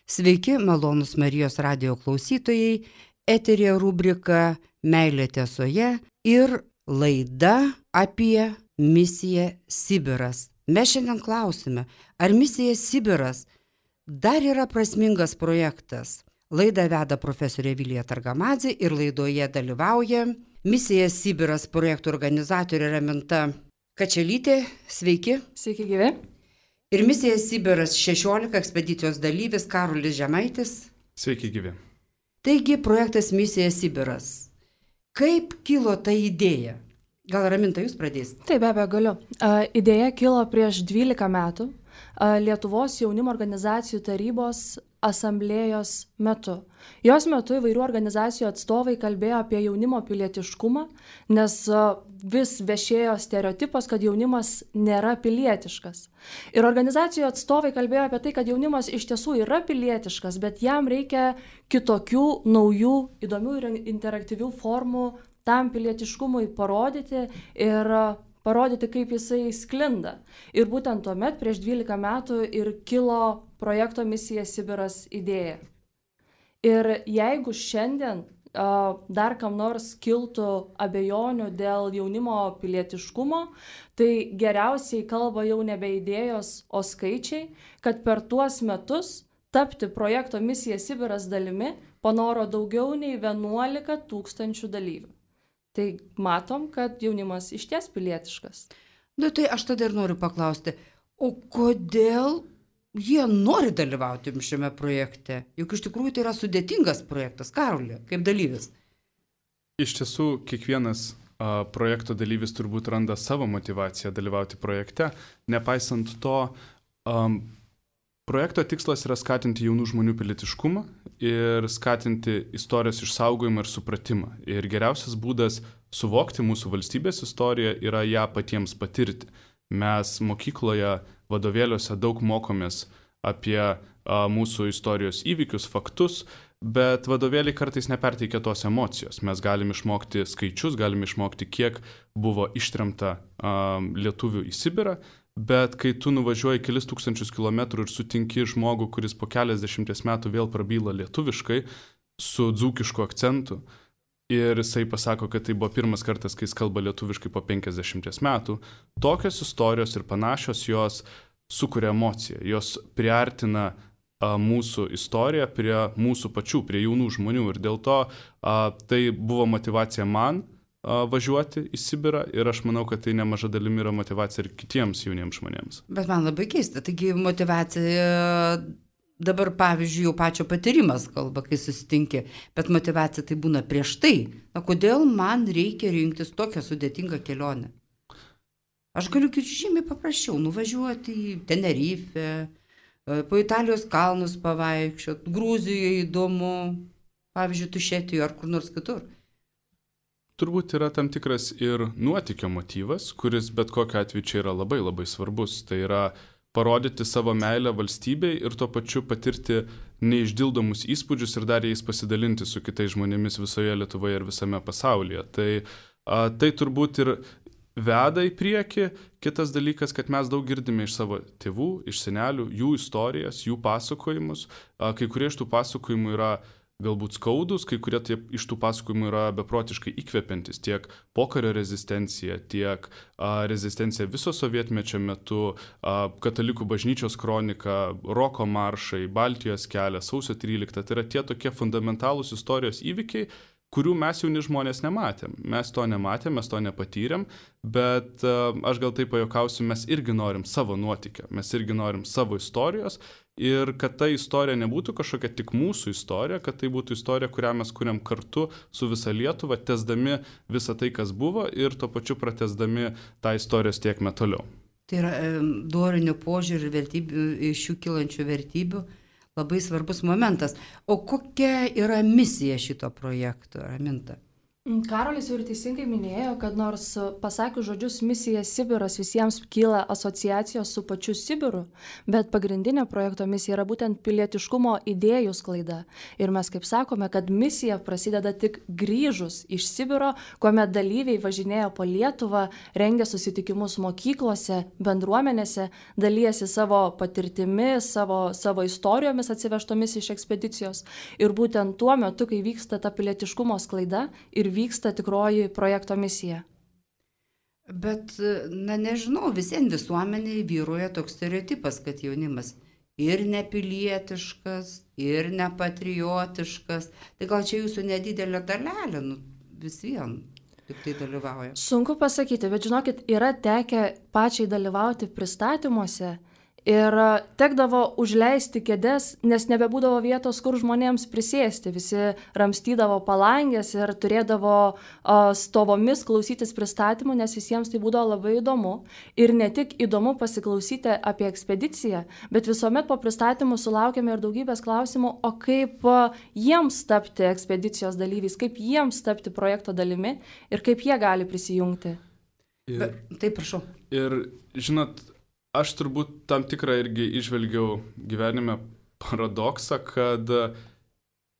Sveiki, malonūs Marijos radijo klausytojai, eterė rubrika Meilė tiesoje ir laida apie misiją Sibiras. Mes šiandien klausime, ar misija Sibiras dar yra prasmingas projektas. Laidą veda profesorė Vilija Targamadzė ir laidoje dalyvauja misija Sibiras projektų organizatorė Raminta Kačelytė. Sveiki. Sveiki gyvi. Ir misija Sibiras 16 ekspedicijos dalyvis Karolis Žemaitis. Sveiki gyvi. Taigi projektas misija Sibiras. Kaip kilo ta idėja? Gal Raminta, jūs pradėsite? Taip, be abejo, galiu. Idėja kilo prieš 12 metų Lietuvos jaunimo organizacijų tarybos asamblėjos metu. Jos metu įvairių organizacijų atstovai kalbėjo apie jaunimo pilietiškumą, nes vis viešėjo stereotipas, kad jaunimas nėra pilietiškas. Ir organizacijų atstovai kalbėjo apie tai, kad jaunimas iš tiesų yra pilietiškas, bet jam reikia kitokių, naujų, įdomių ir interaktyvių formų tam pilietiškumui parodyti ir parodyti, kaip jisai sklinda. Ir būtent tuomet, prieš 12 metų, ir kilo projekto misija Sibiras idėja. Ir jeigu šiandien dar kam nors kiltų abejonių dėl jaunimo pilietiškumo, tai geriausiai kalba jau nebe idėjos, o skaičiai, kad per tuos metus tapti projekto misija Sibiras dalimi panoro daugiau nei 11 000 dalyvių. Tai matom, kad jaunimas išties pilietiškas. Tai aš tada ir noriu paklausti, o kodėl jie nori dalyvauti šiame projekte? Juk iš tikrųjų tai yra sudėtingas projektas, Karoli, kaip dalyvis. Iš tiesų, kiekvienas projekto dalyvis turbūt randa savo motivaciją dalyvauti projekte. Nepaisant to, projekto tikslas yra skatinti jaunų žmonių pilietiškumą ir skatinti istorijos išsaugojimą ir supratimą. Ir geriausias būdas suvokti mūsų valstybės istoriją yra ją patiems patirti. Mes mokykloje vadovėliuose daug mokomės apie mūsų istorijos įvykius, faktus, bet vadovėliai kartais neperteikia tos emocijos. Mes galim išmokti skaičius, galim išmokti, kiek buvo ištremta lietuvių į Sibirą, bet kai tu nuvažiuoji kelis tūkstančius kilometrų ir sutinki žmogų, kuris po keliasdešimties metų vėl prabyla lietuviškai su dzūkišku akcentu ir jisai pasako, kad tai buvo pirmas kartas, kai jis kalba lietuviškai po 50 metų, tokios istorijos ir panašios jos sukuria emociją, jos priartina mūsų istoriją prie mūsų pačių, prie jaunų žmonių ir dėl to tai buvo motivacija man važiuoti į Sibirą ir aš manau, kad tai nemaža dalimi yra motivacija ir kitiems jauniems žmonėms. Bet man labai keista, taigi motivacija dabar, pavyzdžiui, jau pačio patyrimas kalba, kai susitinki, bet motivacija tai būna prieš tai. Kodėl man reikia rinktis tokią sudėtingą kelionę? Aš galiu žymiai paprasčiau nuvažiuoti į Tenerifę, po Italijos kalnus pavaikščioti, Gruzijoje įdomu, pavyzdžiui, Tušetijoje ar kur nors kitur. Turbūt yra tam tikras ir nuotykio motyvas, kuris bet kokiu atveju čia yra labai labai svarbus. Tai yra parodyti savo meilę valstybei ir tuo pačiu patirti neišdildomus įspūdžius ir dar jais pasidalinti su kitais žmonėmis visoje Lietuvoje ir visame pasaulyje. Tai turbūt ir veda į priekį. Kitas dalykas, kad mes daug girdime iš savo tėvų, iš senelių, jų istorijas, jų pasakojimus. Kai kurie iš tų pasakojimų yra galbūt skaudus, kai kurie iš tų pasakojimų yra beprotiškai įkvepiantis, tiek pokario rezistencija, tiek rezistencija viso sovietmečio metu, katalikų bažnyčios kronika, roko maršai, Baltijos kelias, sausio 13. Tai yra tie tokie fundamentalūs istorijos įvykiai, kurių mes jauni žmonės nematėm. Mes to nematėm, mes to nepatyrėm, bet aš gal taip pajuokausiu, mes irgi norim savo nuotykio, mes irgi norim savo istorijos ir kad ta istorija nebūtų kažkokia tik mūsų istorija, kad tai būtų istorija, kurią mes kuriam kartu su visa Lietuva, tęsdami visą tai, kas buvo ir tuo pačiu pratęsdami tą istorijos tiekmę toliau. Tai yra dorinių požiūrių ir vertybių, iš jų kylančių vertybių labai svarbus momentas. O kokia yra misija šito projekto, Raminta? Karolis jau ir teisingai minėjo, kad nors pasakius žodžius misija Sibiras visiems kyla asociacijos su pačiu Sibiru, bet pagrindinė projekto misija yra būtent pilietiškumo idėjų sklaida. Ir mes kaip sakome, kad misija prasideda tik grįžus iš Sibiro, kuomet dalyviai važinėjo po Lietuvą, rengė susitikimus mokyklose, bendruomenėse, dalyjasi savo patirtimi, savo istorijomis atsivežtomis iš ekspedicijos. Ir būtent tuo metu, kai vyksta ta pilietiškumo sklaida ir vyksta tikroji projekto misija. Bet, nežinau, visien visuomeniai vyruoja toks stereotipas, kad jaunimas ir nepilietiškas, ir nepatriotiškas. Tai gal čia jūsų nedidelė dalelė, vis vien tik tai dalyvauja. Sunku pasakyti, bet žinokit, yra tekę pačiai dalyvauti pristatymuose. Ir tekdavo užleisti kėdes, nes nebebūdavo vietos, kur žmonėms prisėsti. Visi ramstydavo palangės ir turėdavo stovomis klausytis pristatymų, nes visiems tai būdavo labai įdomu. Ir ne tik įdomu pasiklausyti apie ekspediciją, bet visuomet po pristatymų sulaukėme ir daugybės klausimų, o kaip jiems tapti ekspedicijos dalyviais, kaip jiems tapti projekto dalimi ir kaip jie gali prisijungti. Taip, prašau. Ir žinot, aš turbūt tam tikrą irgi išvelgiau gyvenime paradoksą, kad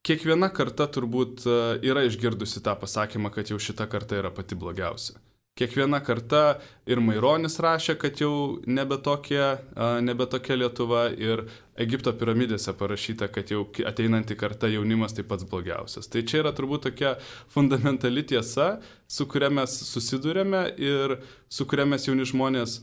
kiekviena karta turbūt yra išgirdusi tą pasakymą, kad jau šita karta yra pati blogiausia. Kiekviena karta ir Maironis rašė, kad jau nebe tokia Lietuva, ir Egipto piramidėse parašyta, kad jau ateinanti karta jaunimas tai pats blogiausias. Tai čia yra turbūt tokia fundamentali tiesa, su kuria mes susidurėme ir su kuria mes jauni žmonės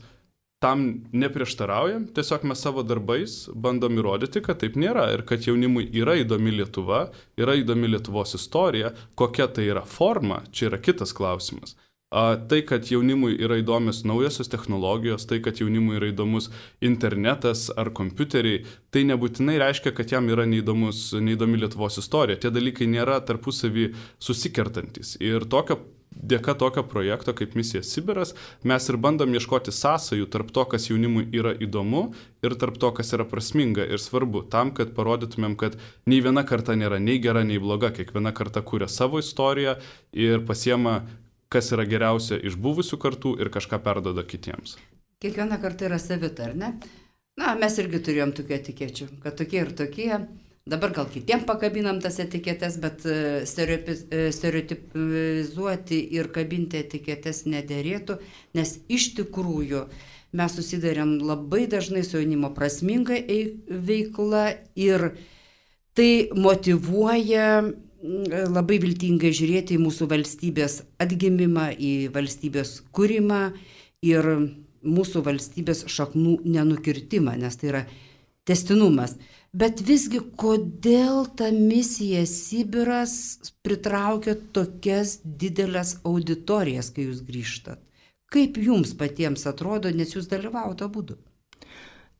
tam neprieštaraujam, tiesiog mes savo darbais bandom įrodyti, kad taip nėra ir kad jaunimui yra įdomi Lietuva, yra įdomi Lietuvos istorija, kokia tai yra forma, čia yra kitas klausimas. Tai, kad jaunimui yra įdomios naujosios technologijos, tai, kad jaunimui yra įdomus internetas ar kompiuteriai, tai nebūtinai reiškia, kad jam yra neįdomi Lietuvos istorija. Tie dalykai nėra tarpusavį susikertantis. Ir dėka tokio projekto kaip misija Sibiras mes ir bandom ieškoti sąsajų tarp to, kas jaunimui yra įdomu ir tarp to, kas yra prasminga ir svarbu, tam, kad parodytumėm, kad nei viena karta nėra nei gera, nei bloga, kiekviena karta kuria savo istoriją ir pasiema, kas yra geriausia iš buvusių kartų ir kažką perduoda kitiems. Kiekviena karta yra savita, ar ne? Mes irgi turėjom tokių etikečių, kad tokie ir tokie. Dabar gal kitiem pakabinam tas etiketės, bet stereotipizuoti ir kabinti etiketės nederėtų, nes iš tikrųjų mes susidarėm labai dažnai su jaunimo prasminga veikla ir tai motyvuoja labai viltingai žiūrėti į mūsų valstybės atgimimą, į valstybės kūrimą ir mūsų valstybės šaknų nenukirtimą, nes tai yra tęstinumas. Bet visgi, kodėl ta misija Sibiras pritraukia tokias didelės auditorijas, kai jūs grįžtat? Kaip jums patiems atrodo, nes jūs dalyvavote abudu?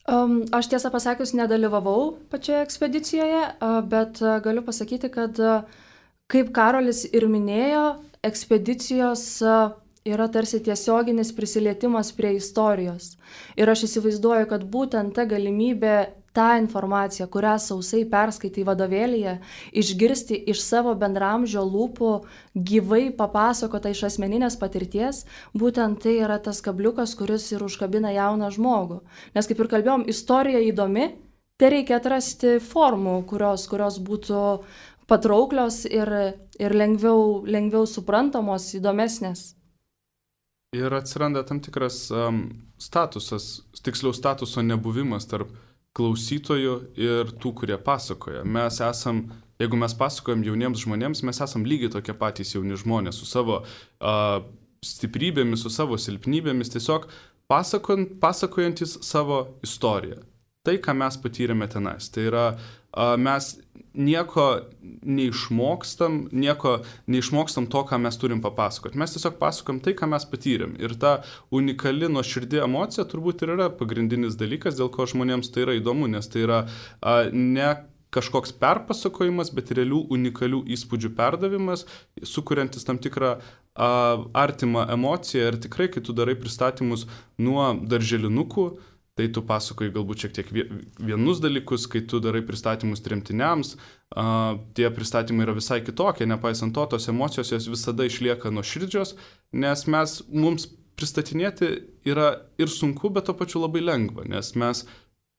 Aš tiesą pasakius nedalyvavau pačioje ekspedicijoje, bet galiu pasakyti, kad kaip Karolis ir minėjo, ekspedicijos yra tarsi tiesioginis prisilietimas prie istorijos. Ir aš įsivaizduoju, kad būtent ta galimybė tą informaciją, kurią sausai perskaitai vadovėlyje, išgirsti iš savo bendramžio lūpų, gyvai papasakota iš asmeninės patirties, būtent tai yra tas kabliukas, kuris ir užkabina jauną žmogų. Nes kaip ir kalbėjom, istorija įdomi, tai reikia atrasti formų, kurios būtų patrauklios ir lengviau suprantamos, įdomesnės. Ir atsiranda tam tikras statuso nebuvimas tarp klausytojų ir tų, kurie pasakoja. Jeigu mes pasakojam jauniems žmonėms, mes esam lygiai tokie patys jauni žmonės su savo stiprybėmis, su savo silpnybėmis, tiesiog pasakojantis savo istoriją. Tai, ką mes patyrėme tenais. Tai yra, mes nieko neišmokstam to, ką mes turim papasakoti. Mes tiesiog pasakojam tai, ką mes patyrėm. Ir ta unikali nuoširdi emocija turbūt ir yra pagrindinis dalykas, dėl ko žmonėms tai yra įdomu, nes tai yra ne kažkoks perpasakojimas, bet realių unikalių įspūdžių perdavimas, sukuriantis tam tikrą artimą emociją. Ir tikrai, kai tu darai pristatymus nuo darželinukų tai tu pasakoji galbūt šiek tiek vienus dalykus, kai tu darai pristatymus tremtiniams, tie pristatymai yra visai kitokie, nepaisant to, tos emocijos jos visada išlieka nuoširdžios, nes mums pristatinėti yra ir sunku, bet to pačiu labai lengva, nes mes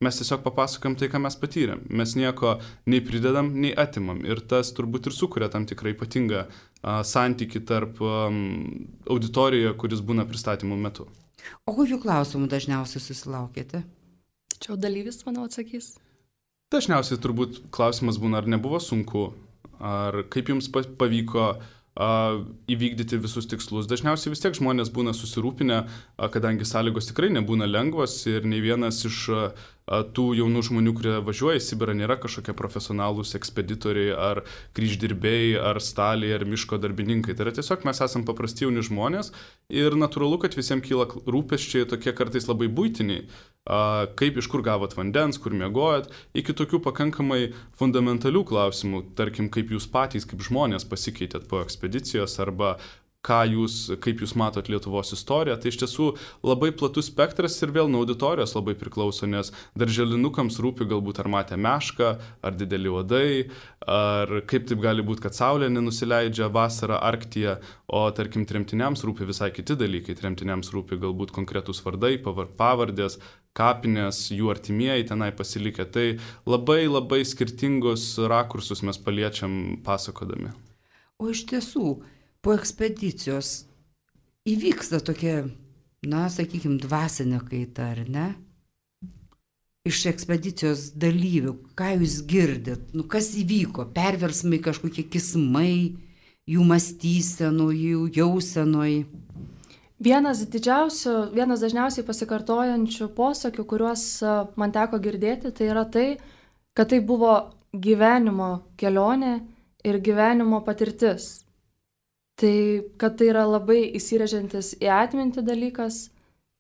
tiesiog papasakojam tai, ką mes patyrėm. Mes nieko nei pridedam, nei atimam. Ir tas turbūt ir sukuria tam tikrą ypatingą santykį tarp auditorijoje, kuris būna pristatymų metu. O kokių klausimų dažniausiai susilaukėte? Čia dalyvis, manau, atsakys. Dažniausiai turbūt klausimas būna, ar nebuvo sunku, ar kaip jums pavyko įvykdyti visus tikslus. Dažniausiai vis tiek žmonės būna susirūpinę, kadangi sąlygos tikrai nebūna lengvos ir nei vienas iš tų jaunų žmonių, kurie važiuoja į Sibirą, nėra kažkokie profesionalūs ekspeditoriai ar kryždirbiai, ar staliai, ar miško darbininkai. Tai yra tiesiog mes esame paprasti jauni žmonės ir natūralu, kad visiems kyla rūpesčiai tokie kartais labai buitiniai, kaip iš kur gavot vandens, kur miegojot, iki tokių pakankamai fundamentalių klausimų, tarkim, kaip jūs patys, kaip žmonės pasikeitėt po ekspedicijos arba kaip jūs matot Lietuvos istoriją. Tai iš tiesų labai platus spektras ir vėl nuo auditorijos labai priklauso, nes darželinukams rūpi galbūt ar matė mešką, ar dideli uodai, ar kaip taip gali būti, kad saulė nenusileidžia vasarą Arktyje, o tarkim tremtiniams rūpi visai kiti dalykai. Tremtiniams rūpi galbūt konkretus vardai, pavardės, kapinės, jų artimieji tenai pasilikę. Tai labai labai skirtingus rakursus mes paliečiam pasakodami. O iš tiesų, po ekspedicijos įvyksta tokia, sakykime, dvasinė kaita, ar ne? Iš ekspedicijos dalyvių, ką jūs girdit, kas įvyko, perversmai, kažkokie kismai, jų mąstysenų, jų jausenoj. Vienas dažniausiai pasikartojančių posakių, kuriuos man teko girdėti, tai yra tai, kad tai buvo gyvenimo kelionė ir gyvenimo patirtis. Tai, kad tai yra labai įsirėžiantis į atmintį dalykas.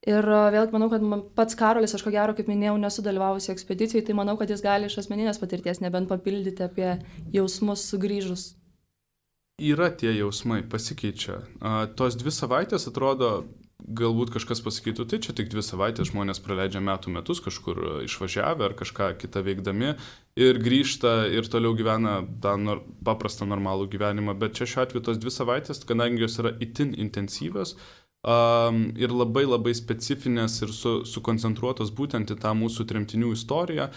Ir vėlgi manau, kad pats Karolis, aš ko gero, kaip minėjau, nesu dalyvavusi ekspedicijai, tai manau, kad jis gali iš asmeninės patirties nebent papildyti apie jausmus sugrįžus. Yra tie jausmai, pasikeičia. Tos 2 savaitės atrodo, galbūt kažkas pasakytų, tai čia tik 2 savaitės žmonės praleidžia metus kažkur išvažiavę ar kažką kitą veikdami ir grįžta ir toliau gyvena tą paprastą normalų gyvenimą, bet čia šiuo atveju tos 2 savaitės, kadangi jos yra itin intensyvios ir labai labai specifinės ir sukoncentruotos būtent į tą mūsų tremtinių istoriją,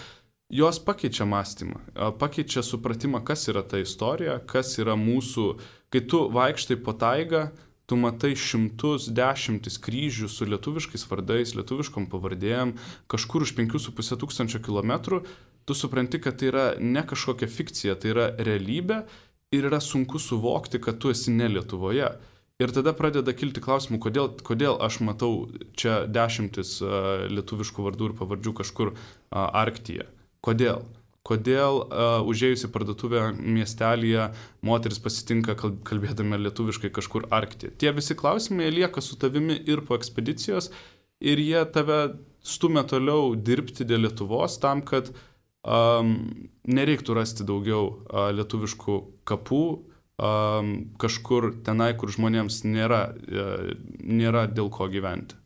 jos pakeičia mąstymą, pakeičia supratimą, kas yra ta istorija, kas yra mūsų, kai tu vaikštai po taigą, tu matai šimtus, dešimtis kryžių su lietuviškais vardais, lietuviškom pavardėm, kažkur už 5,5 tūkstančio kilometrų, tu supranti, kad tai yra ne kažkokia fikcija, tai yra realybė ir yra sunku suvokti, kad tu esi ne Lietuvoje. Ir tada pradeda kilti klausimų, kodėl aš matau čia dešimtis lietuviškų vardų ir pavardžių kažkur Arktyje. Kodėl? Kodėl užėjus į parduotuvę miestelyje moteris pasitinka kalbėdami lietuviškai kažkur Arktyje. Tie visi klausimai lieka su tavimi ir po ekspedicijos ir jie tave stumia toliau dirbti dėl Lietuvos tam, kad nereiktų rasti daugiau lietuviškų kapų kažkur tenai, kur žmonėms nėra dėl ko gyventi.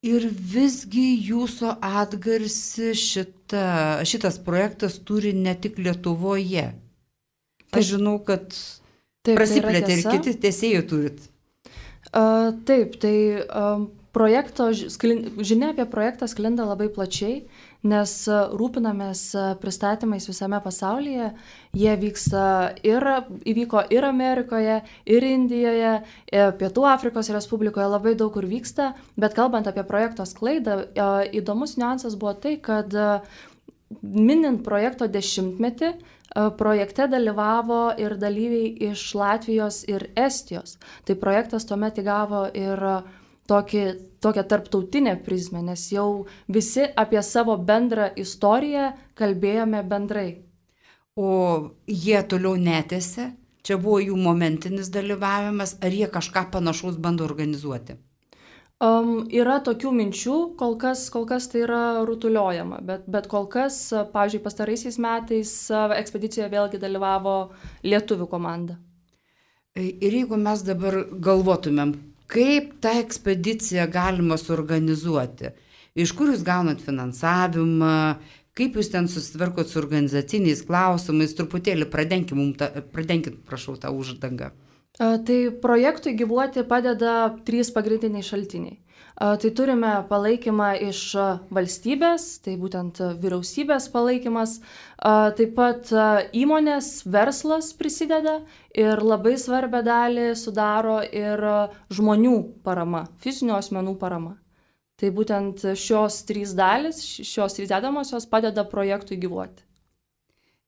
Ir visgi jūsų atgarsį šitas projektas turi ne tik Lietuvoje. Aš žinau, kad prasiplėtė ir kiti tęsėjų turit. Taip, tai žinia apie projektą sklinda labai plačiai, nes rūpinamės pristatymais visame pasaulyje. Jie įvyko ir Amerikoje, ir Indijoje, Pietų Afrikos Respublikoje, labai daug kur vyksta, bet kalbant apie projekto sklaidą, įdomus niuansas buvo tai, kad minint projekto 10-metį, projekte dalyvavo ir dalyviai iš Latvijos ir Estijos. Tai projektas tuomet įgavo ir tokią tarptautinę prizmę, nes jau visi apie savo bendrą istoriją kalbėjome bendrai. O jie toliau netęsė? Čia buvo jų momentinis dalyvavimas, ar jie kažką panašaus bando organizuoti? Yra tokių minčių, kol kas tai yra rutuliojama, bet kol kas, pavyzdžiui, pastaraisiais metais ekspedicijoje vėlgi dalyvavo lietuvių komanda. Ir jeigu mes dabar galvotumėm, kaip tą ekspediciją galima suorganizuoti? Iš kur jūs gaunat finansavimą? Kaip jūs ten susitvarkot su organizaciniais klausimais? Truputėlį pradenkit, prašau, tą uždangą. Tai projektui gyvuoti padeda 3 pagrindiniai šaltiniai. Tai turime palaikymą iš valstybės, tai būtent vyriausybės palaikymas, taip pat įmonės, verslas prisideda ir labai svarbią dalį sudaro ir žmonių parama, fizinių asmenų parama. Tai būtent šios 3 dalis, šios 3 dedamosios padeda projektui gyvuoti.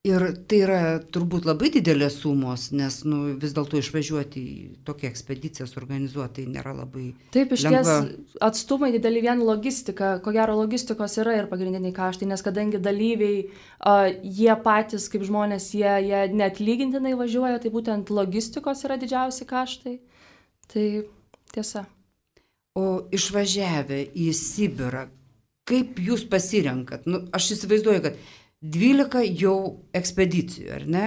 Ir tai yra turbūt labai didelės sumos, nes vis dėlto išvažiuoti į tokią ekspediciją suorganizuoti tai nėra labai lengva. Taip, iš ties atstumai dideli vien logistika, ko gero logistikos yra ir pagrindiniai kaštai, nes kadangi dalyviai, jie patys kaip žmonės, jie neatlygintinai važiuoja, tai būtent logistikos yra didžiausi kaštai. Tai tiesa. O išvažiavę į Sibirą, kaip jūs pasirenkat? Aš įsivaizduoju, kad 12 jau ekspedicijų, ar ne?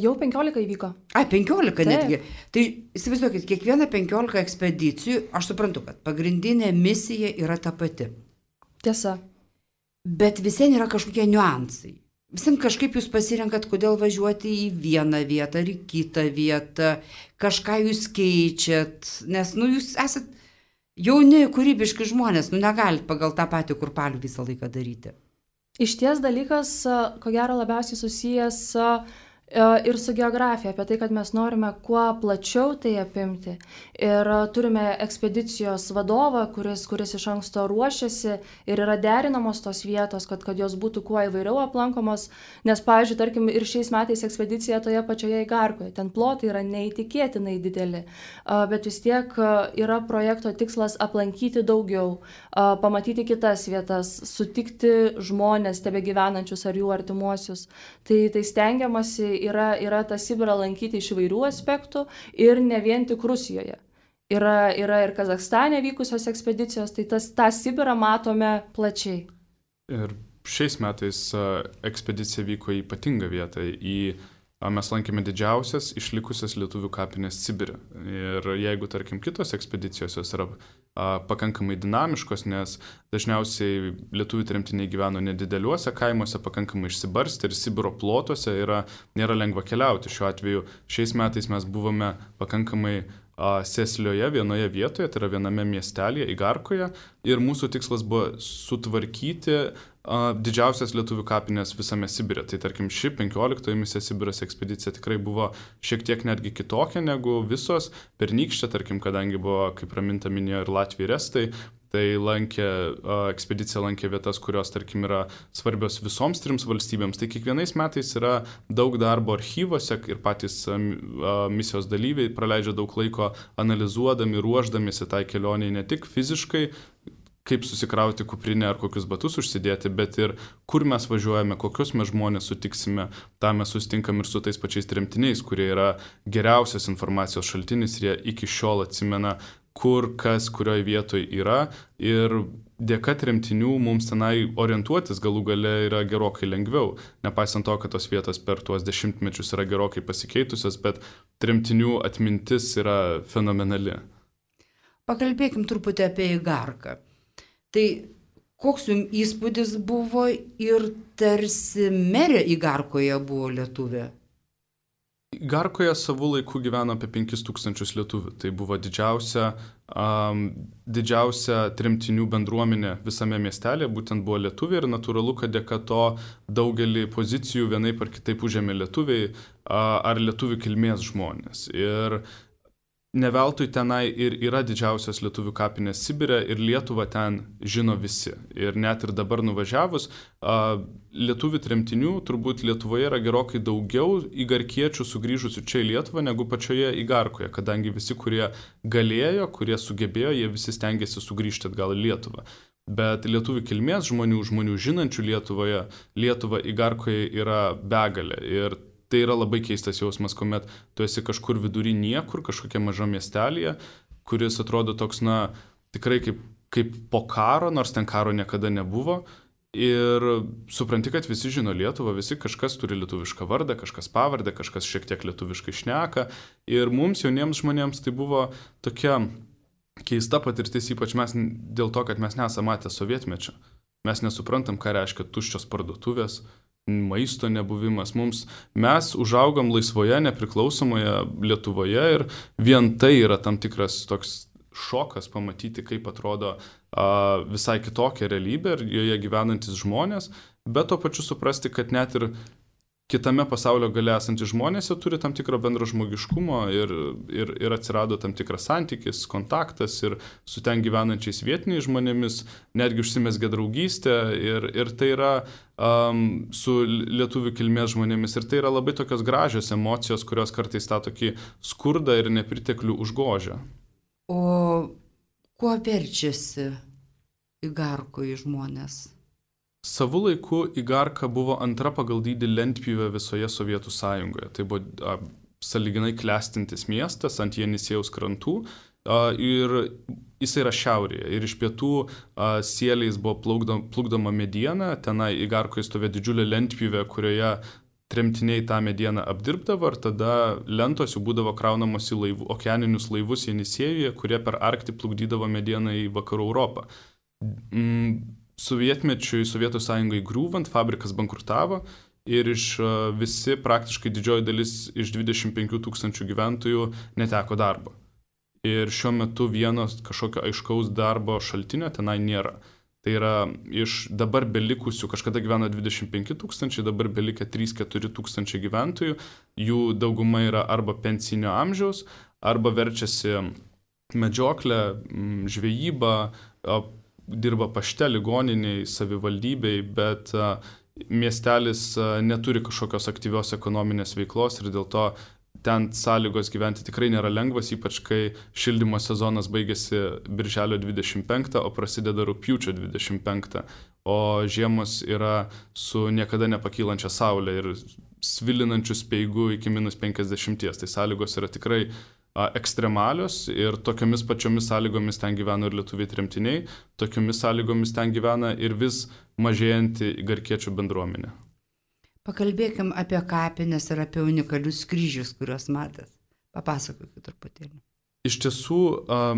Jau 15 įvyko. 15 Taip. netgi. Tai įsivaizduokit, kiekviena 15 ekspedicijų, aš suprantu, kad pagrindinė misija yra ta pati. Tiesa. Bet visien yra kažkokie niuansai. Visien kažkaip jūs pasirenkat, kodėl važiuoti į vieną vietą ar į kitą vietą, kažką jūs keičiat, nes jūs esat jauni, kūrybiški žmonės, negalit pagal tą patį kurpalių visą laiką daryti. Iš ties dalykas, ko gero, labiausiai susijęs ir su geografija, apie tai, kad mes norime kuo plačiau tai apimti. Ir turime ekspedicijos vadovą, kuris iš anksto ruošiasi ir yra derinamos tos vietos, kad jos būtų kuo įvairiau aplankomos. Nes, pavyzdžiui, tarkim, ir šiais metais ekspedicija toje pačioje Igarkoje. Ten plotai yra neįtikėtinai dideli, bet vis tiek yra projekto tikslas aplankyti daugiau, pamatyti kitas vietas, sutikti žmonės, tebegyvenančius ar jų artimuosius. Tai stengiamasi yra tą Sibirą lankyti iš įvairių aspektų ir ne vien tik Rusijoje. Yra ir Kazachstane vykusios ekspedicijos, tai tą Sibirą matome plačiai. Ir šiais metais ekspedicija vyko į ypatingą vietą. Mes lankėme didžiausias išlikusias lietuvių kapinės Sibire. Ir jeigu, tarkim, kitos ekspedicijos jos yra pakankamai dinamiškos, nes dažniausiai lietuvių tremtiniai gyveno nedideliuose kaimuose, pakankamai išsibarstę ir Sibiro plotuose nėra lengva keliauti. Šiuo atveju šiais metais mes buvome pakankamai sėslioje vienoje vietoje, tai yra viename miestelėje, Igarkoje, ir mūsų tikslas buvo sutvarkyti didžiausias lietuvių kapinės visame Sibire. Tai tarkim, ši 15 misija Sibiras ekspedicija tikrai buvo šiek tiek netgi kitokia negu visos. Pernykštė, tarkim, kadangi buvo, kaip Raminta minėjo, ir Latvija ir Estai, tai ekspedicija lankė vietas, kurios, tarkim, yra svarbios visoms 3 valstybėms. Tai kiekvienais metais yra daug darbo archyvose ir patys misijos dalyviai praleidžia daug laiko analizuodami, ruošdamiesi tai kelioniai ne tik fiziškai, kaip susikrauti kuprinę ar kokius batus užsidėti, bet ir kur mes važiuojame, kokius mes žmonės sutiksime. Tą mes susitinkam ir su tais pačiais tremtiniais, kurie yra geriausias informacijos šaltinis ir jie iki šiol atsimena, kur, kas, kurioje vietoje yra. Ir dėka tremtinių mums tenai orientuotis galų gale yra gerokai lengviau. Nepaisant to, kad tos vietos per tuos dešimtmečius yra gerokai pasikeitusios, bet tremtinių atmintis yra fenomenali. Pakalbėkim truputį apie Igarką. Tai koks jums įspūdis buvo ir tarsi merė Igarkoje buvo lietuvė? Igarkoje savų laikų gyveno apie 5000 lietuvių. Tai buvo didžiausia tremtinių bendruomenė visame miestelėje, būtent buvo lietuviai ir natūralu, kad dėka to daugelį pozicijų vienaip ar kitaip užėmė lietuviai ar lietuvių kilmės žmonės. Ir ne veltui tenai ir yra didžiausios lietuvių kapinės Sibire ir Lietuvą ten žino visi. Ir net ir dabar nuvažiavus, lietuvių tremtinių turbūt Lietuvoje yra gerokai daugiau igarkiečių sugrįžusių čia į Lietuvą negu pačioje Igarkoje, kadangi visi, kurie galėjo, kurie sugebėjo, jie visi stengiasi sugrįžti atgal į Lietuvą. Bet lietuvių kilmės žmonių žinančių Lietuvą Igarkoje yra begalė. Ir tai yra labai keistas jausmas, kuomet tu esi kažkur vidury niekur, kažkokia maža miestelėje, kuris atrodo toks, tikrai kaip po karo, nors ten karo niekada nebuvo. Ir supranti, kad visi žino Lietuvą, visi kažkas turi lietuvišką vardą, kažkas pavardę, kažkas šiek tiek lietuviškai šneka. Ir mums, jauniems žmonėms, tai buvo tokia keista patirtis, ypač mes dėl to, kad mes nesame matę sovietmečio. Mes nesuprantam, ką reiškia tuščios parduotuvės, maisto nebuvimas. Mes užaugam laisvoje, nepriklausomoje Lietuvoje ir vien tai yra tam tikras toks šokas pamatyti, kaip atrodo visai kitokia realybė ir joje gyvenantis žmonės, bet to pačiu suprasti, kad net ir kitame pasaulio gale esantys žmonės turi tam tikrą bendrą žmogiškumo ir atsirado tam tikras santykis, kontaktas ir su ten gyvenančiais vietiniais žmonėmis, netgi užsimezgė draugystė ir tai yra su lietuvių kilmės žmonėmis ir tai yra labai tokios gražios emocijos, kurios kartais tą tokį skurdą ir nepriteklių užgožia. O kuo verčiasi Igarkoje žmonės? Savu laiku Igarka buvo antra pagal dydį lentpjūvė visoje Sovietų Sąjungoje. Tai buvo sąlyginai klestintis miestas ant Jenisėjaus krantų ir jis yra šiaurėje. Ir iš pietų sieliais buvo plukdoma mediena, tenai Igarkoje stovėjo didžiulė lentpjūvė, kurioje tremtiniai tą medieną apdirbdavo ir tada lentos jų būdavo kraunamos į okeaninius laivus Jenisėjuje, kurie per Arktį plukdydavo medieną į Vakarų Europą. Sovietmečiui, Sovietų Sąjungai griūvant, fabrikas bankrutavo ir visi praktiškai didžioji dalis iš 25 000 gyventojų neteko darbo. Ir šiuo metu vieno kažkokio aiškaus darbo šaltinio tenai nėra. Tai yra iš dabar belikusių, kažkada gyveno 25 000, dabar belika 3-4 tūkstančiai gyventojų, jų dauguma yra arba pensinio amžiaus, arba verčiasi medžioklę, žvejybą, dirba pašte, ligoniniai, savivaldybei, bet miestelis neturi kažkokios aktyvios ekonominės veiklos ir dėl to ten sąlygos gyventi tikrai nėra lengvas, ypač kai šildymo sezonas baigėsi birželio 25, o prasideda rugpjūčio 25, o žiemos yra su niekada nepakylančia saulė ir svilinančiu speigu iki -50, tai sąlygos yra tikrai ekstremalios ir tokiomis pačiomis sąlygomis ten gyvena ir lietuviai tremtiniai, tokiomis sąlygomis ten gyvena ir vis mažėjanti igarkiečių bendruomenė. Pakalbėkim apie kapines ir apie unikalius kryžius, kuriuos matėt. Papasakokit truputėlį. Iš tiesų,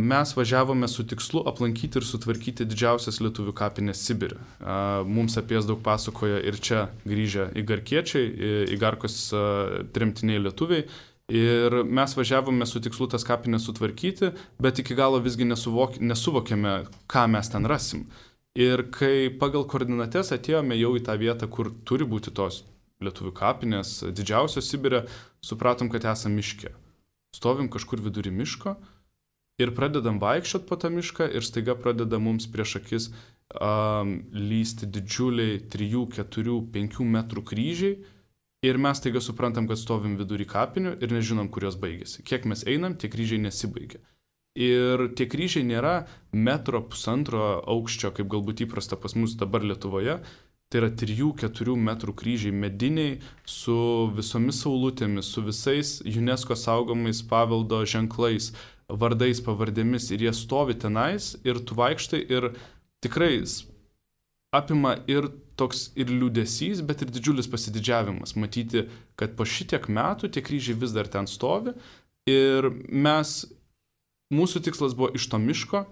mes važiavome su tikslu aplankyti ir sutvarkyti didžiausias lietuvių kapines Sibire. Mums apie jas daug pasakoja ir čia grįžę igarkiečiai, Igarkos tremtiniai lietuviai. Ir mes važiavome su tikslu tas kapines sutvarkyti, bet iki galo visgi nesuvokėme, ką mes ten rasim. Ir kai pagal koordinates atėjome jau į tą vietą, kur turi būti tos lietuvių kapinės, didžiausios Sibire, supratom, kad esam miške. Stovim kažkur vidury miško ir pradedam vaikščiot po tą mišką ir staiga pradeda mums prieš akis lysti didžiuliai 3, 4, 5 metrų kryžiai. Ir mes taiga suprantam, kad stovim vidury kapinių ir nežinom, kur jos baigėsi. Kiek mes einam, tie kryžiai nesibaigia. Ir tie kryžiai nėra 1-1,5 aukščio, kaip galbūt įprasta pas mus dabar Lietuvoje. Tai yra 3-4 metrų kryžiai mediniai su visomis saulutėmis, su visais UNESCO saugomais paveldo ženklais, vardais, pavardėmis. Ir jie stovi tenais ir tu vaikštai ir tikrai apima ir toks ir liūdesys, bet ir didžiulis pasididžiavimas. Matyti, kad po šitiek metų tie kryžiai vis dar ten stovi ir mūsų tikslas buvo iš to miško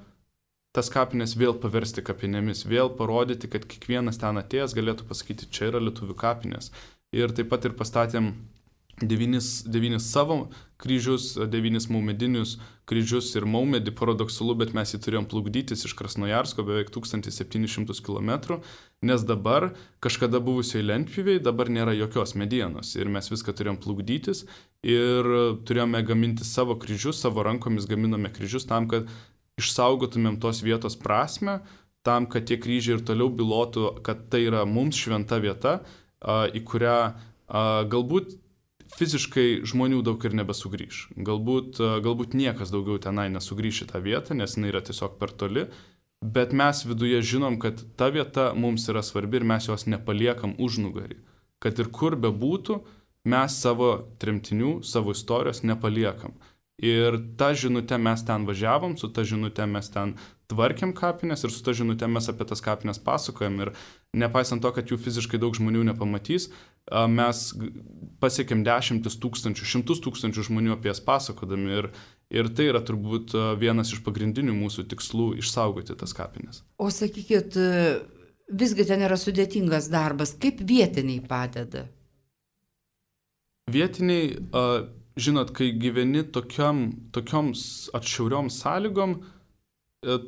tas kapines vėl paversti kapinėmis, vėl parodyti, kad kiekvienas ten atėjęs galėtų pasakyti, čia yra lietuvių kapinės. Ir taip pat ir pastatėm 9 savo kryžius, 9 maumedinius kryžius ir maumedį, paradoksalu, bet mes jį turėjom plukdytis iš Krasnojarsko beveik 1700 km, nes dabar kažkada buvusioj lentpjūvėj dabar nėra jokios medienos ir mes viską turėjom plukdytis ir turėjome gaminti savo kryžius, savo rankomis gaminome kryžius tam, kad išsaugotumėm tos vietos prasme, tam, kad tie kryžiai ir toliau bylotų, kad tai yra mums šventa vieta, į kurią galbūt fiziškai žmonių daug ir nebesugrįš. Galbūt niekas daugiau tenai nesugrįš į tą vietą, nes jinai yra tiesiog per toli, bet mes viduje žinom, kad ta vieta mums yra svarbi ir mes jos nepaliekam užnugarį. Kad ir kur bebūtų, mes savo tremtinių, savo istorijos nepaliekam. Ir tą žinutę mes ten važiavom, su tą žinutę mes ten tvarkėm kapines ir su tą žinutę mes apie tas kapines pasakojam. Ir nepaisant to, kad jų fiziškai daug žmonių nepamatys, mes pasiekėm 10 000, 100 000 žmonių apie jas pasakodami. Ir tai yra turbūt vienas iš pagrindinių mūsų tikslų - išsaugoti tas kapines. O sakykit, visgi ten yra sudėtingas darbas. Kaip vietiniai padeda? Vietiniai, žinot, kai gyveni tokioms atšiauriom sąlygom,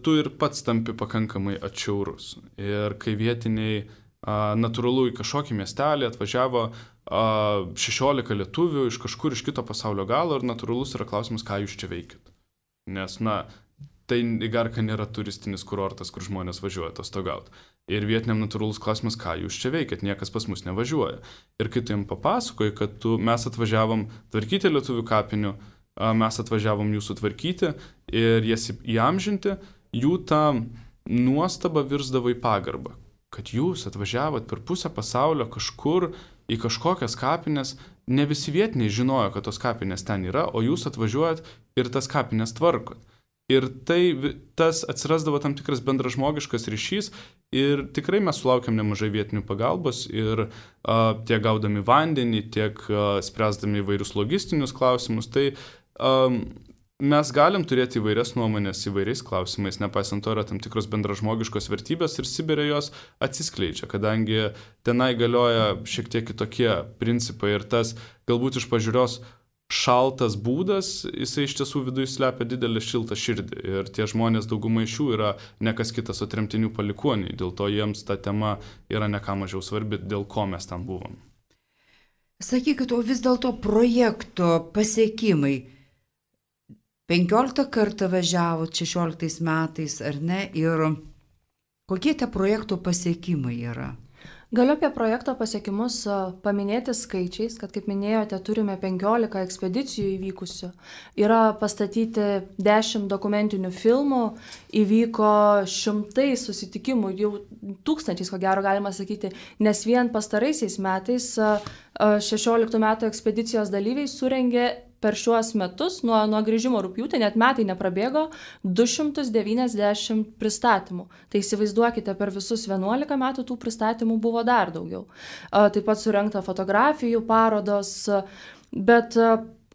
tu ir pats tampi pakankamai atšiaurus. Ir kai vietiniai natūralu į kažkokį miestelį atvažiavo 16 lietuvių iš kažkur iš kito pasaulio galo ir natūralus yra klausimas, ką jūs čia veikit. Nes, tai Igarka nėra turistinis kurortas, kur žmonės važiuoja atostogauti. Ir vietiniam natūralus klausimas, ką jūs čia veikit, niekas pas mus nevažiuoja. Ir kai tu jam papasakoji, kad mes atvažiavom tvarkyti lietuvių kapinių, mes atvažiavom jūsų tvarkyti ir jas įamžinti, jų ta nuostaba virsdavo į pagarbą. Kad jūs atvažiavot per pusę pasaulio kažkur į kažkokias kapines, ne visi vietiniai žinojo, kad tos kapinės ten yra, o jūs atvažiuojat ir tas kapinės tvarkot. Ir tas atsirasdavo tam tikras bendražmogiškas ryšys ir tikrai mes sulaukiam nemažai vietinių pagalbos ir tiek gaudami vandenį, tiek spręsdami įvairius logistinius klausimus. Tai mes galim turėti įvairias nuomonės įvairiais klausimais, nepaisant to yra tam tikros bendražmogiškos vertybės ir Sibire jos atsiskleidžia, kadangi tenai galioja šiek tiek kitokie principai ir tas galbūt iš pažiūrios šaltas būdas, jisai iš tiesų viduje slepia didelį šiltą širdį ir tie žmonės dauguma iš jų yra ne kas kitas, o tremtinių palikuoniai, dėl to jiems ta tema yra ne ką mažiau svarbi, dėl ko mes ten buvom. Sakykit, o vis dėlto projekto pasiekimai. 15 kartą važiavo 16 metais, ar ne? Ir kokie tie projekto pasiekimai yra? Galiu apie projekto pasiekimus paminėti skaičiais, kad, kaip minėjote, turime 15 ekspedicijų įvykusių. Yra pastatyti 10 dokumentinių filmų, įvyko 100 susitikimų, jau 1000, ko gero galima sakyti, nes vien pastaraisiais metais 16 metų ekspedicijos dalyviai surengė per šiuos metus, nuo grįžimo rugpjūtį, net metai neprabėgo, 290 pristatymų. Tai įsivaizduokite, per visus 11 metų tų pristatymų buvo dar daugiau. Taip pat surengta fotografijų parodos, bet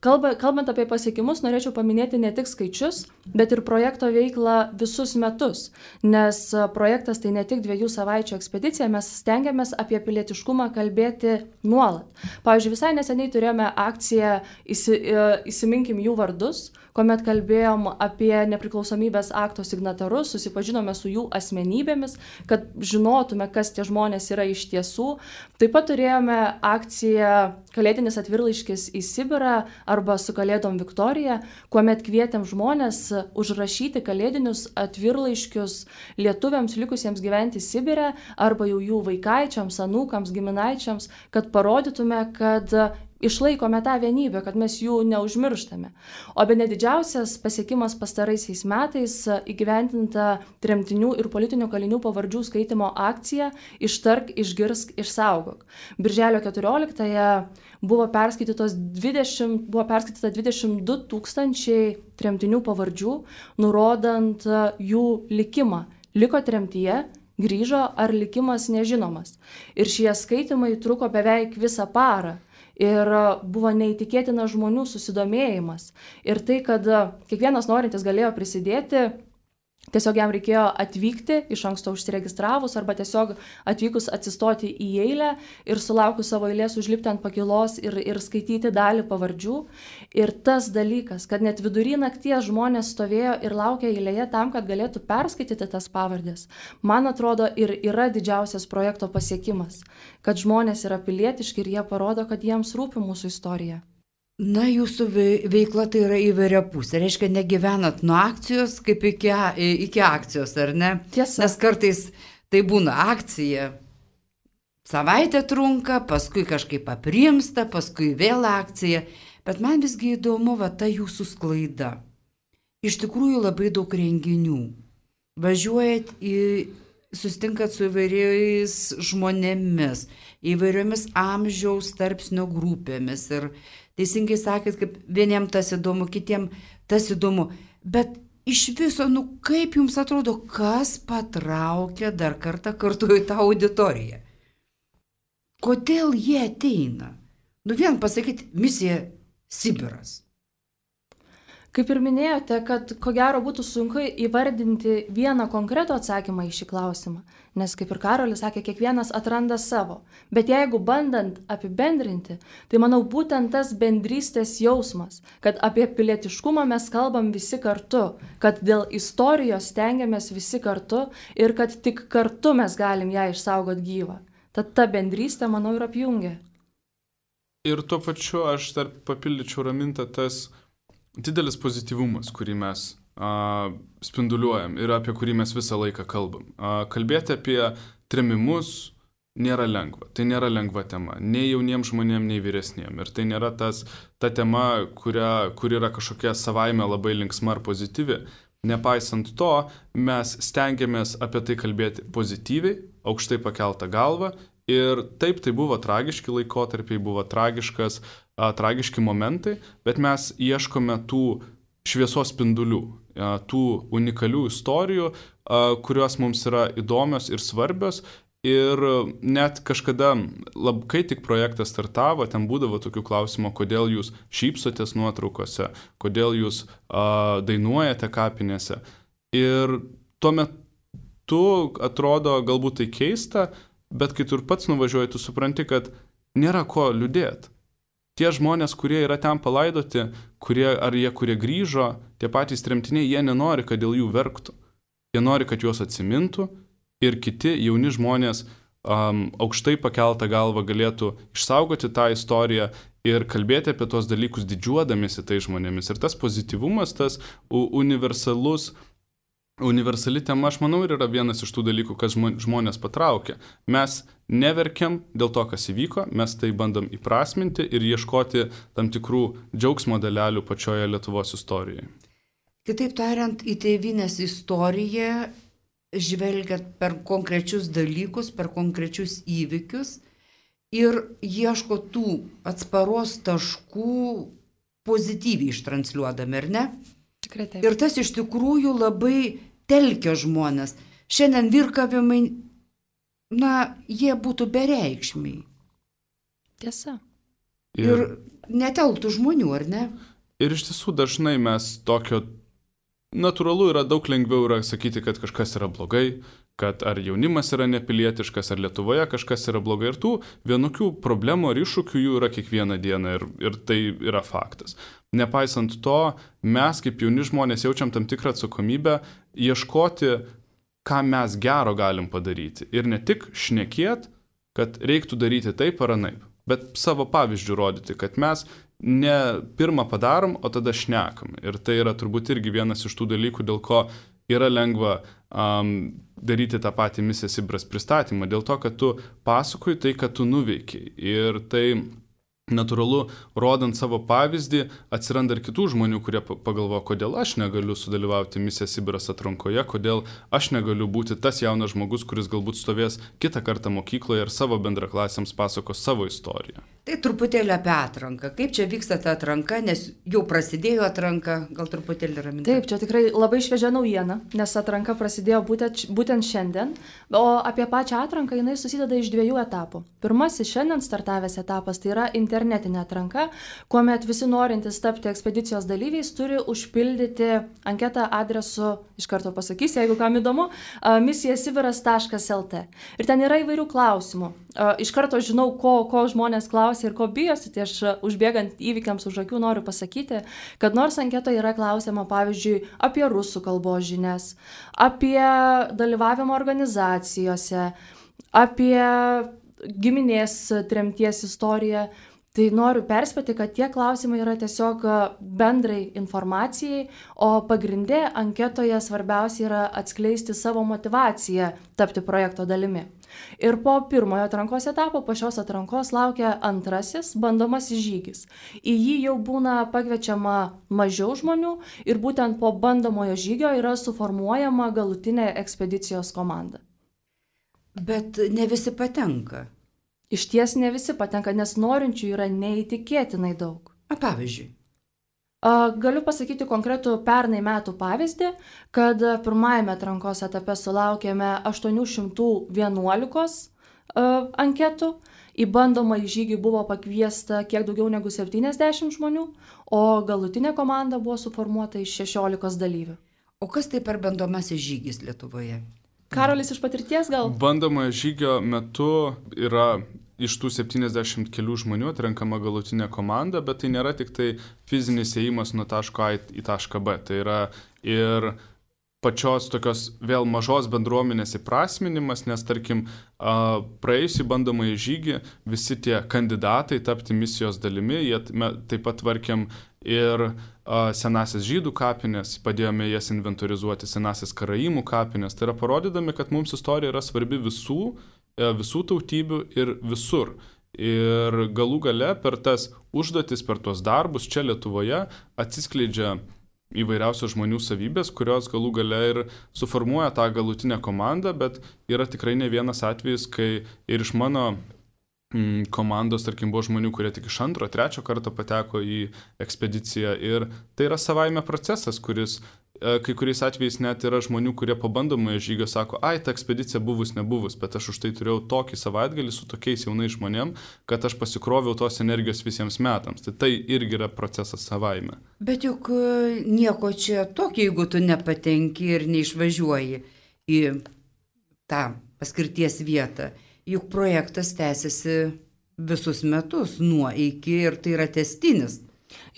kalbant apie pasiekimus, norėčiau paminėti ne tik skaičius, bet ir projekto veiklą visus metus, nes projektas tai ne tik 2 savaičių ekspedicija, mes stengiamės apie pilietiškumą kalbėti nuolat. Pavyzdžiui, visai neseniai turėjome akciją Įsiminkim jų vardus, kuomet kalbėjom apie nepriklausomybės akto signatarus, susipažinome su jų asmenybėmis, kad žinotume, kas tie žmonės yra iš tiesų. Taip pat turėjome akciją Kalėdinis atvirlaiškis į Sibirą arba Su Kalėdom Viktorija, kuomet kvietėm žmonės užrašyti kalėdinius atvirlaiškius lietuviams likusiems gyventi Sibire arba jau jų vaikaičiams, anūkams, giminaičiams, kad parodytume, kad išlaikome tą vienybę, kad mes jų neužmirštame. O bene didžiausias pasiekimas pastaraisiais metais įgyvendinta tremtinių ir politinių kalinių pavardžių skaitimo akcija Ištark, išgirsk, išsaugok. Birželio 14-ąją buvo perskaityta 22 000 tremtinių pavardžių, nurodant jų likimą. Liko tremtyje, grįžo ar likimas nežinomas. Ir šie skaitimai truko beveik visą parą. Ir buvo neįtikėtinas žmonių susidomėjimas. Ir tai, kad kiekvienas norintis galėjo prisidėti, tiesiog jam reikėjo atvykti, iš anksto užsiregistravus, arba tiesiog atvykus atsistoti į eilę ir sulaukus savo eilės užlipti ant pakilos ir skaityti dalį pavardžių. Ir tas dalykas, kad net vidury nakties žmonės stovėjo ir laukė eilėje tam, kad galėtų perskaityti tas pavardės, man atrodo ir yra didžiausias projekto pasiekimas, kad žmonės yra pilietiški ir jie parodo, kad jiems rūpi mūsų istorija. Na, jūsų veikla tai yra įvairiapusė. Reiškia, negyvenat nuo akcijos kaip iki akcijos, ar ne? Tiesa. Nes kartais tai būna akcija. Savaitę trunka, paskui kažkaip aprimsta, paskui vėl akcija. Bet man visgi įdomu, ta jūsų sklaida. Iš tikrųjų labai daug renginių. Važiuojat sustinkat su įvairiais žmonėmis, įvairiomis amžiaus tarpsnio grupėmis ir teisingai sakėt, kaip vieniem tas įdomu, kitiem tas įdomu, bet iš viso, kaip jums atrodo, kas patraukia dar kartą kartu į tą auditoriją? Kodėl jie ateina? Vien pasakyti, misija Sibiras. Kaip ir minėjote, kad ko gero būtų sunku įvardinti vieną konkretų atsakymą į šį klausimą, nes kaip ir Karolis sakė, kiekvienas atranda savo. Bet jeigu bandant apibendrinti, tai manau būtent tas bendrystės jausmas, kad apie pilietiškumą mes kalbam visi kartu, kad dėl istorijos stengiamės visi kartu ir kad tik kartu mes galim ją išsaugoti gyvą. Tad ta bendrystė, manau, ir apjungia. Ir tuo pačiu aš dar papildyčiau Ramintą tas didelis pozityvumas, kurį mes spinduliuojam ir apie kurį mes visą laiką kalbam. Kalbėti apie trėmimus nėra lengva. Tai nėra lengva tema. Nei jauniems žmonėms, nei vyresniems. Ir tai nėra ta tema, kur yra kažkokia savaime labai linksma ar pozityvi. Nepaisant to, mes stengiamės apie tai kalbėti pozityviai, aukštai pakeltą galvą. Ir taip, tai buvo tragiški laikotarpiai, buvo tragiški momentai, bet mes ieškome tų šviesos spindulių, tų unikalių istorijų, kurios mums yra įdomios ir svarbios. Ir net kažkada, kai tik projektas startavo, ten būdavo tokių klausimų, kodėl jūs šypsotės nuotraukose, kodėl jūs dainuojate kapinėse. Ir tuo metu atrodo galbūt tai keista, bet kai tu ir pats nuvažiuoji, tu supranti, kad nėra ko liūdėti. Tie žmonės, kurie yra ten palaidoti, kurie grįžo, tie patys tremtiniai, jie nenori, kad dėl jų verktų. Jie nori, kad juos atsimintų ir kiti jauni žmonės aukštai pakeltą galvą galėtų išsaugoti tą istoriją ir kalbėti apie tos dalykus didžiuodamėsi tai žmonėmis. Ir tas pozityvumas, tas universali tema, aš manau, ir yra vienas iš tų dalykų, kas žmonės patraukia. Mes neverkiam dėl to, kas įvyko, mes tai bandom įprasminti ir ieškoti tam tikrų džiaugsmo dalelių pačioje Lietuvos istorijoje. Kitaip tariant, į tėvynės istoriją žvelgiat per konkrečius dalykus, per konkrečius įvykius ir ieško tų atsparos taškų pozityviai ištransliuodami, ar ne? Tikrai taip. Ir tas iš tikrųjų labai telkia žmonės. Šiandien virkavimai, jie būtų bereikšmiai. Tiesa. Ir neteltų žmonių, ar ne? Ir iš tiesų dažnai mes tokio natūralu yra daug lengviau yra sakyti, kad kažkas yra blogai, kad ar jaunimas yra nepilietiškas, ar Lietuvoje kažkas yra blogai. Ir tų vienokių problemų ar iššūkių jų yra kiekvieną dieną ir tai yra faktas. Nepaisant to, mes kaip jauni žmonės jaučiam tam tikrą atsakomybę ieškoti, ką mes gero galim padaryti. Ir ne tik šnekėt, kad reiktų daryti taip ar anaip, bet savo pavyzdžių rodyti, kad mes ne pirmą padarom, o tada šnekam. Ir tai yra turbūt irgi vienas iš tų dalykų, dėl ko yra lengva daryti tą patį misijos Sibiras pristatymą, dėl to, kad tu pasakoji tai, kad tu nuveikiai. Ir tai natūralu, rodant savo pavyzdį, atsiranda ir kitų žmonių, kurie pagalvoja, kodėl aš negaliu sudalyvauti misijos Sibiras atrankoje, kodėl aš negaliu būti tas jaunas žmogus, kuris galbūt stovės kitą kartą mokykloje ir savo bendraklasiams pasakos savo istoriją. Tai truputėlį apie atranką. Kaip čia vyksta ta atranka, nes jau prasidėjo atranka, gal truputėlį Raminta? Taip, čia tikrai labai šviežia naujiena, nes atranka prasidėjo būtent šiandien, o apie pačią atranką jinai susideda iš 2 etapų. Pirmasis šiandien startavęs etapas tai yra internetinė atranka, kuomet visi norintys tapti ekspedicijos dalyviais turi užpildyti anketą adresu, iš karto pasakysiu, jeigu kam įdomu, misijasibiras.lt. Ir ten yra įvairių klausimų. Iš karto žinau, ko žmonės klausia ir ko bijosi, tai aš užbėgant įvykiams už akių noriu pasakyti, kad nors anketoje yra klausima, pavyzdžiui, apie rusų kalbos žinias, apie dalyvavimą organizacijose, apie giminės tremties istoriją, tai noriu perspėti, kad tie klausimai yra tiesiog bendrai informacijai, o pagrindė anketoje svarbiausia yra atskleisti savo motivaciją tapti projekto dalimi. Ir po pirmojo atrankos etapo, po šios atrankos laukia antrasis bandomasis žygis. Į jį jau būna pakviečiama mažiau žmonių ir būtent po bandomojo žygio yra suformuojama galutinė ekspedicijos komanda. Bet ne visi patenka. Išties ne visi patenka, nes norinčių yra neįtikėtinai daug. Pavyzdžiui? Galiu pasakyti konkretų pernai metų pavyzdį, kad pirmajame atrankos etape sulaukėme 811 anketų, Į bandomąjį žygį buvo pakviesta kiek daugiau negu 70 žmonių, o galutinė komanda buvo suformuota iš 16 dalyvių. O kas tai per bandomasis žygis Lietuvoje? Karolis iš patirties gal? Bandomojo žygio metu yra iš tų 70 kelių žmonių atrenkama galutinė komanda, bet tai nėra tik tai fizinis ėjimas nuo taško A į tašką B. Tai yra ir pačios tokios vėl mažos bendruomenės įprasminimas, nes tarkim praėjusį bandomąjį žygį visi tie kandidatai tapti misijos dalimi, jie taip pat tvarkėm ir senasis žydų kapinės, padėjome jas inventorizuoti, senasis karaimų kapinės. Tai yra parodydami, kad mums istorija yra svarbi visų tautybių ir visur. Ir galų gale per tas užduotis, per tuos darbus čia Lietuvoje atsiskleidžia įvairiausios žmonių savybės, kurios galų gale ir suformuoja tą galutinę komandą, bet yra tikrai ne vienas atvejis, kai ir iš mano komandos, tarkim, buvo žmonių, kurie tik iš 2, 3 karto pateko į ekspediciją ir tai yra savaime procesas, kuris kai kuriais atvejais net yra žmonių, kurie po bandomojo žygio sako, ta ekspedicija buvus nebuvus, bet aš už tai turėjau tokį savaitgalį su tokiais jaunais žmonėm, kad aš pasikroviau tos energijos visiems metams. Tai irgi yra procesas savaime. Bet juk nieko čia tokio, jeigu tu nepatenki ir neišvažiuoji į tą paskirties vietą. Juk projektas tęsiasi visus metus nuo iki ir tai yra tęstinis.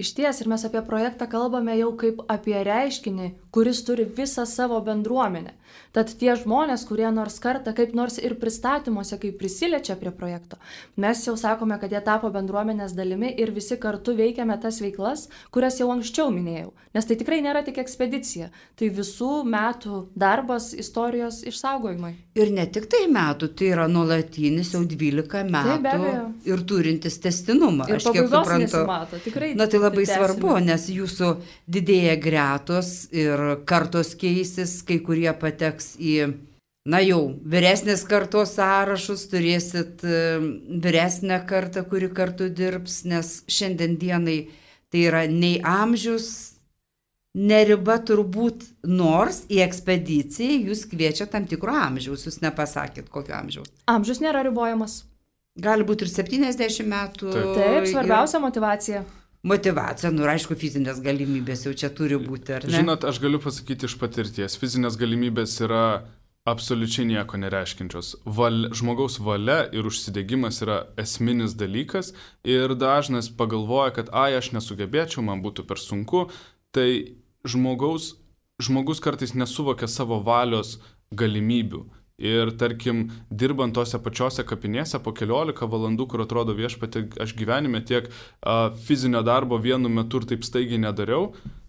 Išties, ir mes apie projektą kalbame jau kaip apie reiškinį, kuris turi visą savo bendruomenę. Tad tie žmonės, kurie nors kartą, kaip nors ir pristatymuose, kaip prisiliečia prie projekto, mes jau sakome, kad jie tapo bendruomenės dalimi ir visi kartu veikiame tas veiklas, kurias jau anksčiau minėjau. Nes tai tikrai nėra tik ekspedicija, tai visų metų darbas istorijos išsaugojimai. Ir ne tik tai metų, tai yra nuolatinis jau 12 metų ir turintis testinumą. Ir pabaigos nesimato, tikrai. Na tai labai svarbu, nes jūsų didėja gretos ir kartos keisis, kai kurie pateks į, jau vyresnės kartos sąrašus, turėsit vyresnę kartą, kuri kartu dirbs, nes šiandien dienai tai yra nei amžius, neriba turbūt, nors į ekspediciją jūs kviečia tam tikro amžiaus, jūs nepasakėt kokio amžiaus. Amžius nėra ribojamas. Gali būti ir 70 metų. Taip, svarbiausia motyvacija. Motyvacija, aišku, fizinės galimybės jau čia turi būti, ar ne? Žinot, aš galiu pasakyti iš patirties, fizinės galimybės yra absoliučiai nieko nereiškinčios. Žmogaus valia ir užsidegimas yra esminis dalykas ir dažnas pagalvoja, kad aš nesugebėčiau, man būtų per sunku, tai žmogus kartais nesuvokia savo valios galimybių. Ir tarkim, dirbant tose pačiose kapinėse po 14 valandų, kur atrodo viešpatie, aš gyvenime tiek fizinio darbo vienu metu ir taip staigiai nedariau,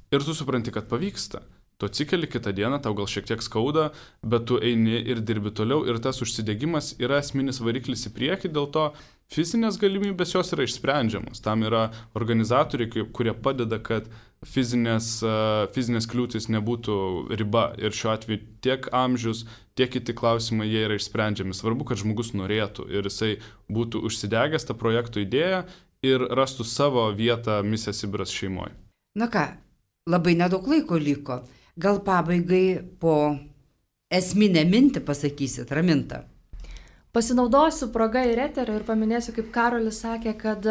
ir tu supranti, kad pavyksta. Tu atsikeli kitą dieną, tau gal šiek tiek skauda, bet tu eini ir dirbi toliau ir tas užsidegimas yra esminis variklis į priekį, dėl to fizinės galimybės jos yra išsprendžiamos. Tam yra organizatoriai, kurie padeda, kad fizinės kliūtis nebūtų riba ir šiuo atveju tiek amžius, tiek kiti klausimai jie yra išsprendžiami. Svarbu, kad žmogus norėtų ir jisai būtų užsidegęs tą projekto idėją ir rastų savo vietą Misija Sibiras šeimoje. Na ką, labai nedaug laiko liko. Gal pabaigai po esminę mintį pasakysit, Raminta? Pasinaudosiu progą ir eterį ir paminėsiu, kaip Karolis sakė, kad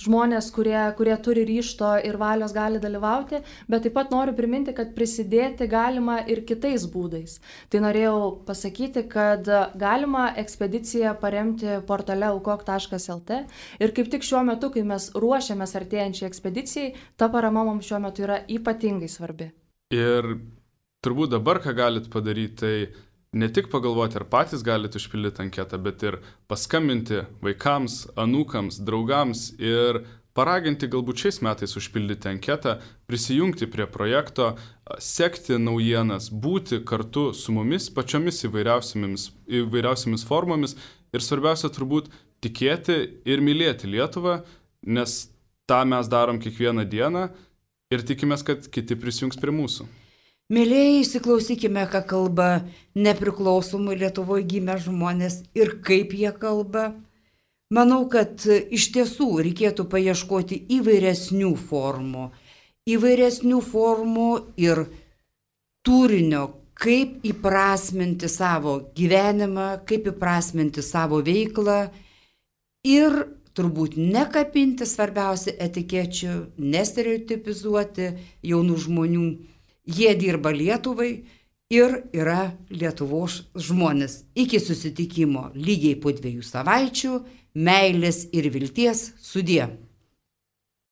žmonės, kurie turi ryžto ir valios, gali dalyvauti, bet taip pat noriu priminti, kad prisidėti galima ir kitais būdais. Tai norėjau pasakyti, kad galima ekspediciją paremti portale aukok.lt ir kaip tik šiuo metu, kai mes ruošiamės artėjančiai ekspedicijai, ta parama mums šiuo metu yra ypatingai svarbi. Ir turbūt dabar, ką galit padaryti, tai ne tik pagalvoti, ar patys galite užpildyti anketą, bet ir paskambinti vaikams, anūkams, draugams ir paraginti galbūt šiais metais užpildyti anketą, prisijungti prie projekto, sekti naujienas, būti kartu su mumis pačiomis įvairiausiamis formomis ir svarbiausia turbūt tikėti ir mylėti Lietuvą, nes tą mes darom kiekvieną dieną ir tikimės, kad kiti prisijungs prie mūsų. Mėlėjai, įsiklausykime, ką kalba nepriklausomai Lietuvoje gimę žmonės ir kaip jie kalba. Manau, kad iš tiesų reikėtų paieškoti įvairesnių formų ir turinio, kaip įprasminti savo gyvenimą, kaip įprasminti savo veiklą ir turbūt nekapinti svarbiausia etikečių, nestereotipizuoti jaunų žmonių. Jie dirba Lietuvai ir yra Lietuvos žmonės. Iki susitikimo lygiai po 2 savaičių. Meilės ir vilties, sudie.